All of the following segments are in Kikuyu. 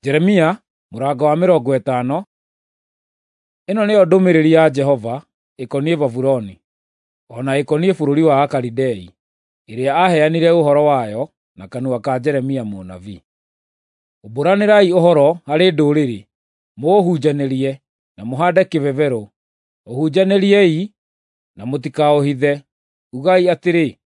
Jeremia mũrango wa 50. Ĩno nĩyo ndũmĩrĩri ya Jehova ĩkoniĩ Babuloni, o na ĩkoniĩ bũrũri wa Akalidei, ĩrĩa aaheanire ũhoro wayo na kanua ka Jeremia mũnabii. Umbũranĩrai ũhoro harĩ ndũrĩrĩ, mũũhunjanĩrie, na mũhaande kĩbebero; ũhunjanĩriei na mũtikaũhithe. Ugai atĩrĩ,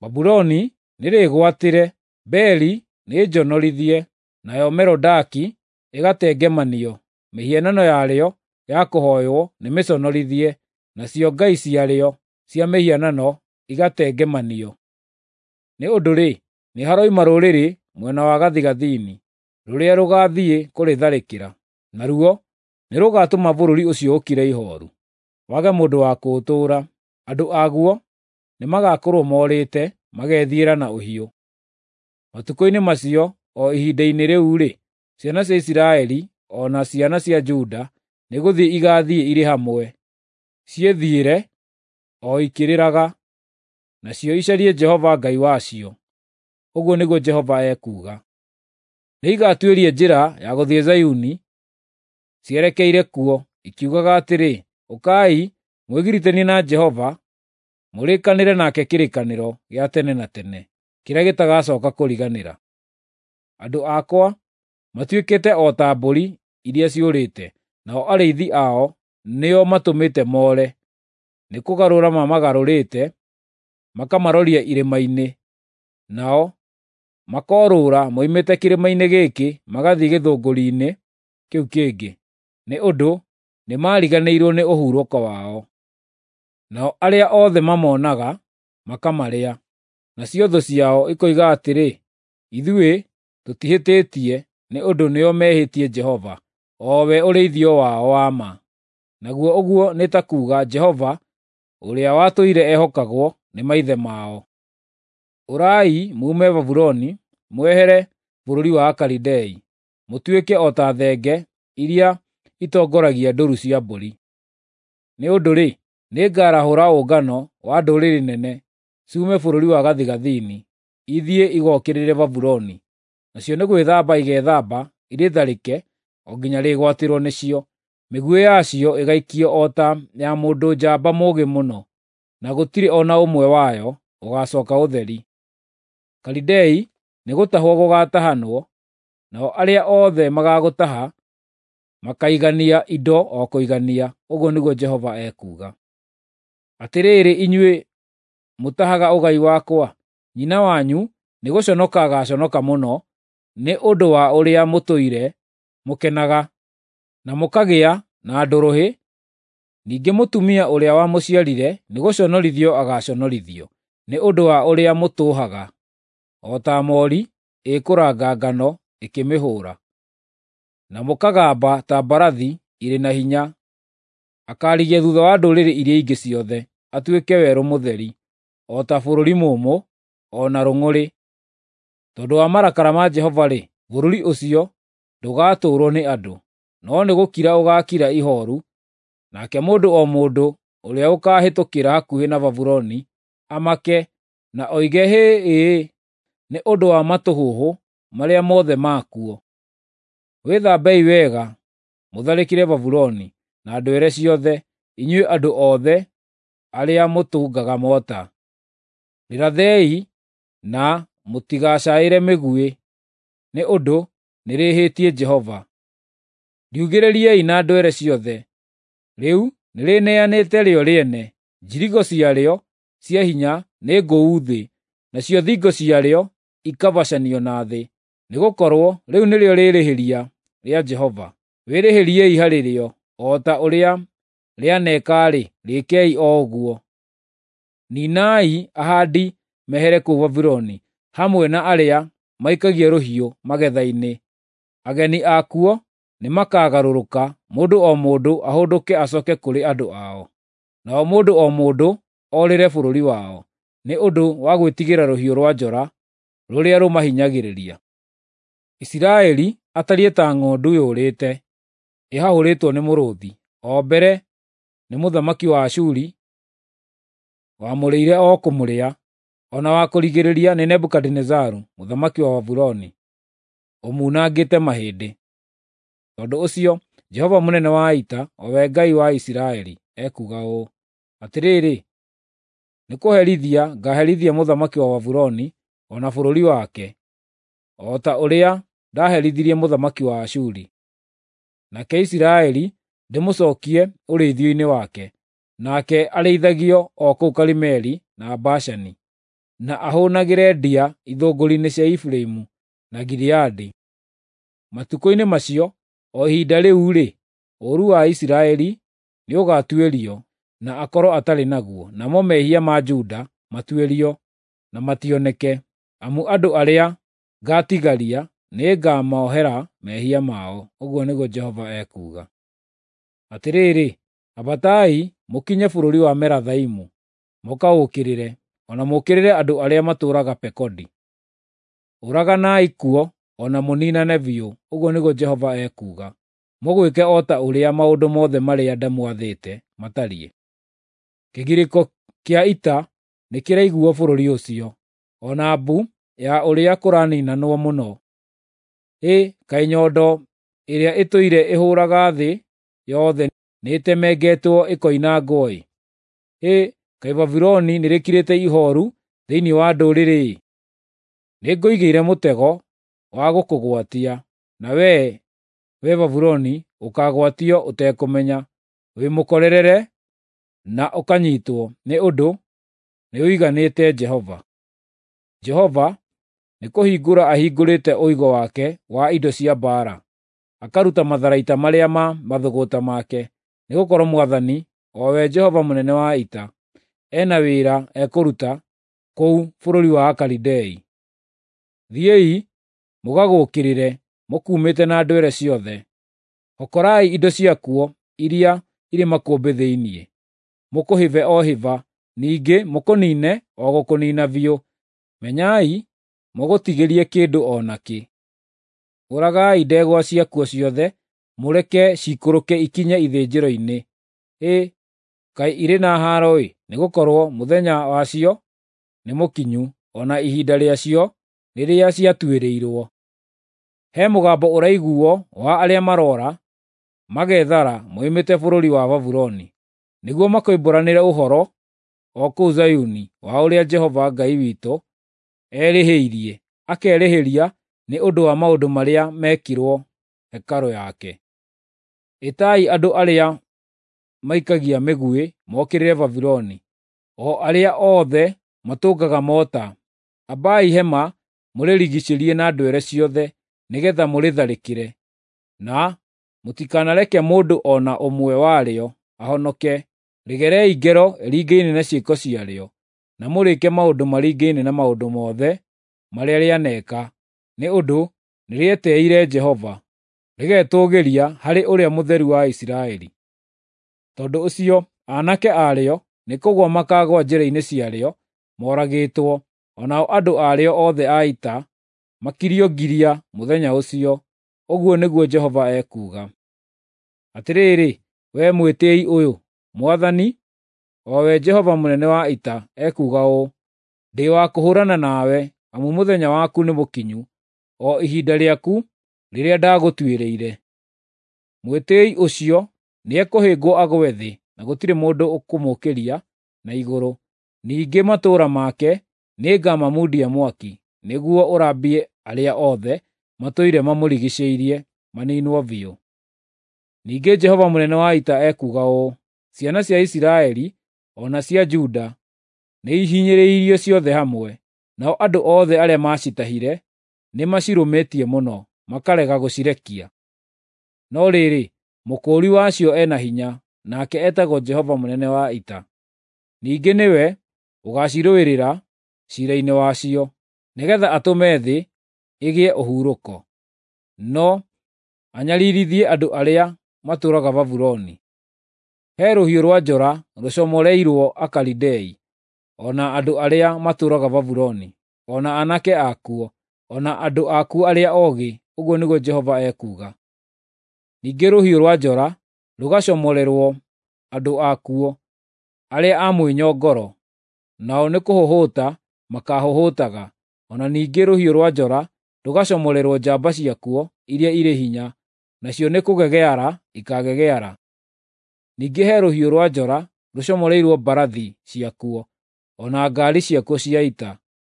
“Babuloni nĩrĩgwatĩre, Beli nĩnjonorithie, nayo Merodaki ĩgatengemanio; mĩhianano yarĩo ya kũhooywo nĩmĩconorithie, nacio ngai ciarĩo cia mĩhianano igatengemanio.” Nĩ ũndũ-rĩ, nĩharoima rũrĩrĩ mwena wa gathigathini, rũrĩa rũgaathiĩ kũrĩtharĩkĩra, naruo nĩrũgatũma bũrũri ũcio ũkire ihooru, wage mũndũ wa kũũtũũra. Andũ aguo nĩmagakorwo morĩte, magethiĩra na ũhiũ. Matukũ-inĩ macio, o ihinda-inĩ rĩu-rĩ, ciana cia Isiraeli o na ciana cia Juda nĩgũthiĩ igaathiĩ irĩ hamwe, ciĩthiĩre o ikĩrĩraga, nacio icarie Jehova Ngai wacio. Ũguo nĩguo Jehova ekuuga. Nĩigatuĩria njĩra ya gũthiĩ Zayuni cierekeire kuo, ikiugaga atĩrĩ, “Ũkai, mwĩgiritanie na Jehova, mũrĩkanĩre nake kĩrĩkanĩro gĩa tene na tene, kĩrĩa gĩtagacooka kũriganĩra.” Andũ akwa matuĩkĩte o ta mbũri iria ciũrĩte, nao arĩithi ao nĩo matũmĩte moore; nĩkũgarũra mamagarũrĩte, makamaroria irĩma-inĩ, nao makoorũũra moimĩte kĩrĩma-inĩ gĩkĩ magathiĩ gĩthũngũri-inĩ kĩu kĩngĩ, nĩ ũndũ nĩmariganĩirwo nĩ ũhurũko wao. Nao arĩa othe mamonaga makamarĩa, nacio thũ ciao ikoiga atĩrĩ, “Ithuĩ tũtihĩtĩtie, nĩ ũndũ nĩo mehĩtie Jehova, o we ũrĩithio wao wa ma.” Naguo ũguo nĩ ta kuuga Jehova ũrĩa watũire ehokagwo nĩ maithe mao. Ũrai muume Babuloni, mwehere bũrũri wa Akalidei, mũtuĩke o ta thenge iria itongoragia ndũũru cia mbũri. Nĩ ũndũ-rĩ, nĩngarahũra ũngano wa ndũrĩrĩ nene ciume bũrũri wa gathigathini, ithiĩ igookĩrĩre Babuloni. Nacio nĩ gwĩthamba igeethamba irĩtharĩke o nginya rĩgwatĩrwo nĩcio. Mĩguĩ yacio ĩgaikio o ta ya mũndũ njamba mũũgĩ mũno, na gũtirĩ o na ũmwe wayo ũgaacooka ũtheri. Kalidei nĩgũtahwo gũgaatahanwo, nao arĩa othe magaagũtaha makaigania indo o kũigania, ũguo nĩguo Jehova ekuuga. Atĩrĩrĩ inyuĩ mũtahaga ũgai wakwa, nyina wanyu nĩgũconoka agaaconoka mũno nĩ ũndũ wa ũrĩa mũtũire mũkenaga, na mũkagĩa na ndũrũhĩ; ningĩ mũtumia ũrĩa wamũciarire nĩgũconorithio agaaconorithio nĩ ũndũ wa ũrĩa mũtũũhaga, o ta moori ĩkũranga ngano ĩkĩmĩhũũra, na mũkagamba ta mbarathi irĩ na hinya. Akaarigia thuutha wa ndũrĩrĩ iria ingĩ ciothe, atuĩke werũ mũtheri, o ta bũrũri mũũmũ, o na rũng'ũrĩ. Tondũ wa marakara ma Jehova-rĩ, bũrũri ũcio ndũgatũũrwo nĩ andũ, no nĩgũkira ũgaakira ihooru, nake mũndũ o mũndũ ũrĩa ũkaahĩtũkĩra hakuhĩ na Babuloni amake na oige hĩ-ĩ-ĩ nĩ ũndũ wa matũhũhũ marĩa mothe makuo. Wĩthambei wega mũtharĩkĩre Babuloni na ndwere ciothe, inyuĩ andũ othe arĩa mũtungaga mota. Rĩrathei na mũtigacaĩre mĩguĩ, nĩ ũndũ nĩrĩhĩtie Jehova. Riugĩrĩriei na ndwere ciothe; rĩu nĩrĩneanĩte rĩo rĩene. Njirigo ciarĩo cia hinya nĩ ngũu thĩ, nacio thingo ciarĩo ikabacanio na thĩ. Nĩgũkorwo rĩu nĩrĩo rĩĩrĩhĩria rĩa Jehova. Wĩrĩhĩriei harĩ rĩo; o ta ũrĩa rĩaneeka-rĩ, rĩĩkei o ũguo. Niinai ahaandi mehere kũu Babuloni, hamwe na arĩa maikagia rũhiũ magetha-inĩ. Ageni akuo nĩmakagarũrũka, mũndũ o mũndũ ahũndũke acooke kũrĩ andũ ao, nao mũndũ o mũndũ orĩre bũrũri wao, nĩ ũndũ wa gwĩtigĩra rũhiũ rwa njora rũrĩa rũmahinyagĩrĩria. Isiraeli atariĩ ta ng'ondu yũrĩte, ĩhahũrĩtwo nĩ mũrũũthi. O mbere nĩ mũthamaki wa Ashuri wamũrĩire o kũmũrĩa, o na wa kũrigĩrĩria nĩ Nebukadinezaru mũthamaki wa Babuloni, ũmunangĩte mahĩndĩ. Tondũ ũcio Jehova mũnene wa ita, o we Ngai wa Isiraeli, ekuuga ũũ: Atĩrĩrĩ, nĩkũherithia ngaaherithia mũthamaki wa Babuloni o na bũrũri wake, o ta ũrĩa ndaherithirie mũthamaki wa Ashuri. Nake Isiraeli ndĩmũcookie ũrĩithio-inĩ wake, nake arĩithagio o kũu Karimeli na Bashani, na ahũũnagĩre ndia ithũngũri-inĩ cia Efiraimu na Gileadi. Matukũ-inĩ macio, o ihinda rĩu-rĩ, ũũru wa Isiraeli nĩũgatuĩrio na akorwo atarĩ naguo, namo mehia ma Juda matuĩrio na mationeke, amu andũ arĩa ngaatigaria nĩngamohera mehia mao, ũguo nĩguo Jehova ekuuga. Atĩrĩrĩ, ambatai mũkinye bũrũri wa Merathaimu, mũkaũũkĩrĩre, o na mũũkĩrĩre andũ arĩa matũũraga Pekodi. Ũraganai kuo o na mũniinane biũ, ũguo nĩguo Jehova ekuuga. Mũgwĩke o ta ũrĩa maũndũ mothe marĩa ndamwathĩte matariĩ. Kĩgirĩko kĩa ita nĩkĩraiguuo bũrũri ũcio, o na mbu ya ũrĩa kũraniinanwo mũno. Hĩ, kaĩ nyondo ĩrĩa ĩtũire ĩhũũraga thĩ yothe nĩĩtemengetwo ĩkoinangwo-ĩ! Hĩ, kaĩ Babuloni nĩrĩkirĩte ihooru thĩinĩ wa ndũrĩrĩ-ĩ! Nĩngũigĩire mũtego wa gũkũgwatia, na wee, wee Babuloni, ũkaagwatio ũtekũmenya. Wĩmũkorerere na ũkanyiitwo, nĩ ũndũ nĩũiganĩte Jehova. Jehova nĩkũhingũra ahingũrĩte ũigo wake wa indo cia mbaara, akaruta matharaita marĩa ma mathũgũta make, nĩgũkorwo Mwathani, o we Jehova mũnene wa ita, ena wĩra ekũruta kũu bũrũri wa Akalidei. Thiĩi mũgagũũkĩrĩre mũkuumĩte na ndwere ciothe. Hokorai indo ciakuo iria irĩ makũmbĩ thĩinĩ, mũkũhĩbe o hĩba, ningĩ mũkũniine o gũkũniina biũ. Menyai mũgũtigĩrie kĩndũ o nakĩ. Ũragai ndegwa ciakuo ciothe, mũreke ciikũrũke ikinye ithĩnjĩro-inĩ. Hĩ, kaĩ irĩ na haaro-ĩ, nĩgũkorwo mũthenya wacio nĩmũkinyu, o na ihinda rĩacio rĩrĩa ciatuĩrĩirwo. He mũgambo ũraiguuo wa arĩa maroora magethara moimĩte bũrũri wa Babuloni, nĩguo makoimbũranĩre ũhoro o kũu Zayuni wa ũrĩa Jehova Ngai witũ erĩhĩirie, akerĩhĩria nĩ ũndũ wa maũndũ marĩa mekirwo hekarũ yake. Ĩtai andũ arĩa maikagia mĩguĩ mokĩrĩre Babuloni, o arĩa othe matũngaga mota. Ambai hema mũrĩrigiicĩrie na ndwere ciothe nĩgeetha mũrĩtharĩkĩre, na mũtikanareke mũndũ o na ũmwe warĩo ahonoke. Rĩgerei ngero ĩringaine na ciĩko ciarĩo, na mũrĩĩke maũndũ maringaine na maũndũ mothe marĩa rĩaneeka, nĩ ũndũ nĩrĩetĩĩire Jehova, rĩgetũũgĩria harĩ Ũrĩa Mũtheru wa Isiraeli. Tondũ ũcio aanake arĩo nĩkũgũa makaagũa njĩra-inĩ ciarĩo moragĩtwo, o nao andũ arĩo othe a ita makirio ngiria mũthenya ũcio, ũguo nĩguo Jehova ekuuga. Atĩrĩrĩ, wee mwĩtĩĩi ũyũ, Mwathani, o we Jehova mũnene wa ita, ekuuga ũũ: Ndĩ wa kũhũũrana nawe, amu mũthenya waku nĩmũkinyu, o ihinda rĩaku rĩrĩa ndagũtuĩrĩire. Mwĩtĩĩi ũcio nĩekũhĩngwo agwe thĩ, na gũtirĩ mũndũ ũkũmũũkĩria na igũrũ. Ningĩ matũũra make nĩngamamundia mwaki, nĩguo ũrambie arĩa othe matũire mamũrigiicĩirie maniinwo biũ. Ningĩ Jehova mũnene wa ita ekuuga ũũ: Ciana cia Isiraeli o na cia Juda nĩihinyĩrĩirio ciothe hamwe, nao andũ othe arĩa maacitahire nĩmacirũmĩtie mũno, makarega gũcirekia. No rĩrĩ, Mũkũũri wacio e na hinya, nake etagwo Jehova mũnene wa ita. Ningĩ nĩwe ũgaacirũĩrĩra ciira-inĩ wacio, nĩgeetha atũme thĩ ĩgĩe ũhurũko, no anyariirithie andũ arĩa matũũraga Babuloni. He rũhiũ rwa njora rũcomoreirwo Akalidei, o na andũ arĩa matũũraga Babuloni, o na aanake akuo, o na andũ akuo arĩa oogĩ, ũguo nĩguo Jehova ekuuga. Ningĩ rũhiũ rwa njora rũgacomorerwo andũ akuo arĩa a mwĩnyongoro, nao nĩkũhũhũta makaahũhũtaga, o na ningĩ rũhiũ rwa njora rũgacomorerwo njamba ciakuo iria irĩ hinya, nacio nĩ kũgegeara ikagegeara. Ningĩ he rũhiũ rwa njora rũcomoreirwo mbarathi ciakuo, o na ngaari ciakuo cia ita,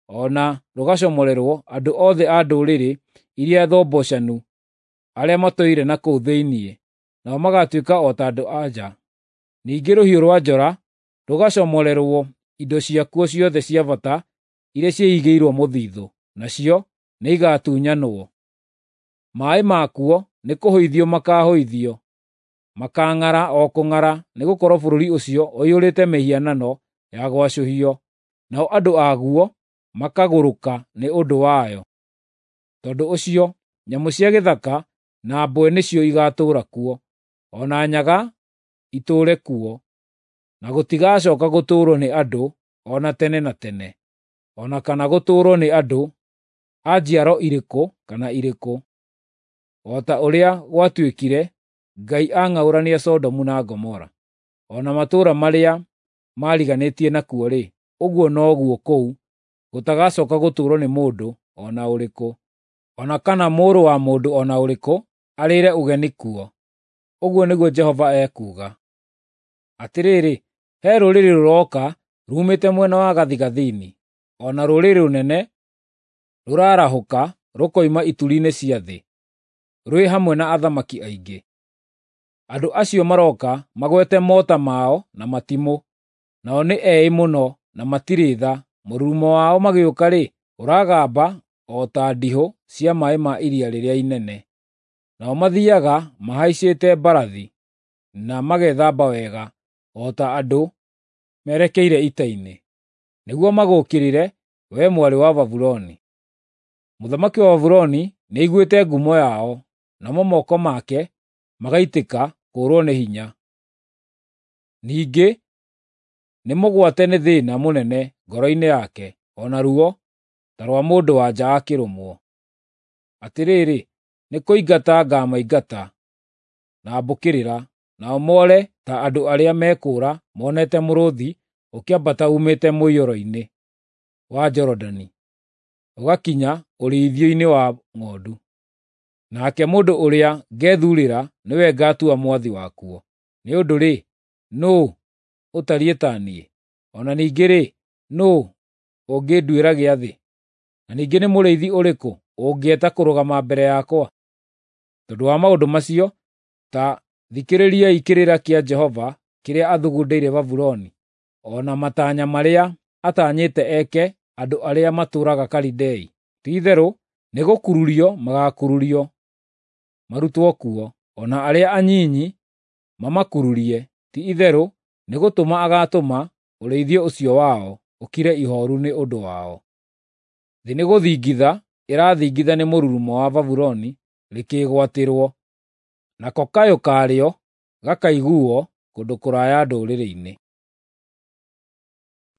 o na rũgacomorerwo andũ othe a ndũrĩrĩ iria thombocanu arĩa matũire na kũu thĩinĩ, nao magatuĩka o ta andũ-a-nja. Ningĩ rũhiũ rwa njora rũgacomorerwo indo ciakuo ciothe cia bata iria ciĩigĩirwo mũthithũ, nacio nĩigatunyanwo. Maaĩ makuo nĩkũhũithio makaahũithio, makaang'ara o kũng'ara, nĩgũkorwo bũrũri ũcio ũiyũrĩte mĩhianano ya gwacũhio, nao andũ aguo makagũrũka nĩ ũndũ wayo. Tondũ ũcio nyamũ cia gĩthaka na mbwe nĩcio igaatũũra kuo, o na nyaga itũũre kuo, na gũtigacooka gũtũũrwo nĩ andũ o na tene na tene, o na kana gũtũũrwo nĩ andũ a njiaro irĩkũ kana irĩkũ. O ta ũrĩa gwatuĩkire Ngai ang'aũrania Sodomu na Gomora, o na matũũra marĩa maariganĩtie nakuo-rĩ, ũguo noguo kũu gũtagacooka gũtũũrwo nĩ mũndũ o na ũrĩkũ, o na kana mũrũ wa mũndũ o na ũrĩkũ arĩĩre ũgeni kuo. Ũguo nĩguo Jehova ekuuga. Atĩrĩrĩ, he rũrĩrĩ rũroka ruumĩte mwena wa gathigathini, o na rũrĩrĩ rũnene rũrarahũka rũkoima ituri-inĩ cia thĩ, rwĩ hamwe na athamaki aingĩ. Andũ acio maroka magwete mota mao na matimũ, nao nĩ eĩ mũno na matirĩ tha. Mũrurumo wao magĩũka-rĩ, ũragamba o ta ndihũ cia maaĩ ma iria rĩrĩa inene. Nao mathiiaga mahaicĩte mbarathi, na magethamba wega, o ta andũ merekeire ita-inĩ, nĩguo magũũkĩrĩre, wee Mwarĩ wa Babuloni. Mũthamaki wa Babuloni nĩaiguĩte ngumo yao, namo moko make magaitĩka kũũrwo nĩ hinya. Ningĩ nĩmũgwate nĩ thĩĩna mũnene ngoro-inĩ yake, o na ruo ta rwa mũndũ-wa-nja akĩrũmwo. Atĩrĩrĩ, nĩkũingata ngaamaingata na mbũkĩrĩra, nao moore ta andũ arĩa mekũũra monete mũrũũthi ũkĩambata uumĩte mũiyũro-inĩ wa Jorodani, ũgakinya ũrĩithio-inĩ wa ng'ondu. Nake mũndũ ũrĩa ngethuurĩra nĩwe ngatua mwathi wakuo. Nĩ ũndũ-rĩ, nũũ ũtariĩ ta niĩ? O na ningĩ-rĩ, nũũ ũngĩnduĩra gĩathĩ? Na ningĩ nĩ mũrĩithi ũrĩkũ ũngĩeta kũrũgama mbere yakwa? Tondũ wa maũndũ macio, ta thikĩrĩriai kĩrĩra kĩa Jehova kĩrĩa athugundĩire Babuloni, o na matanya marĩa atanyĩte eke andũ arĩa matũũraga Kalidei. Ti-itherũ nĩgũkururio magaakururio marutwo kuo, o na arĩa anyinyi mamakururie. Ti-itherũ nĩgũtũma agaatũma ũrĩithio ũcio wao ũkire ihooru nĩ ũndũ wao. Thĩ nĩgũthingitha ĩrathingitha nĩ mũrurumo wa Babuloni rĩkĩĩgwatĩrwo, nako kayũ karĩo gakaiguuo kũndũ kũraya ndũrĩrĩ-inĩ.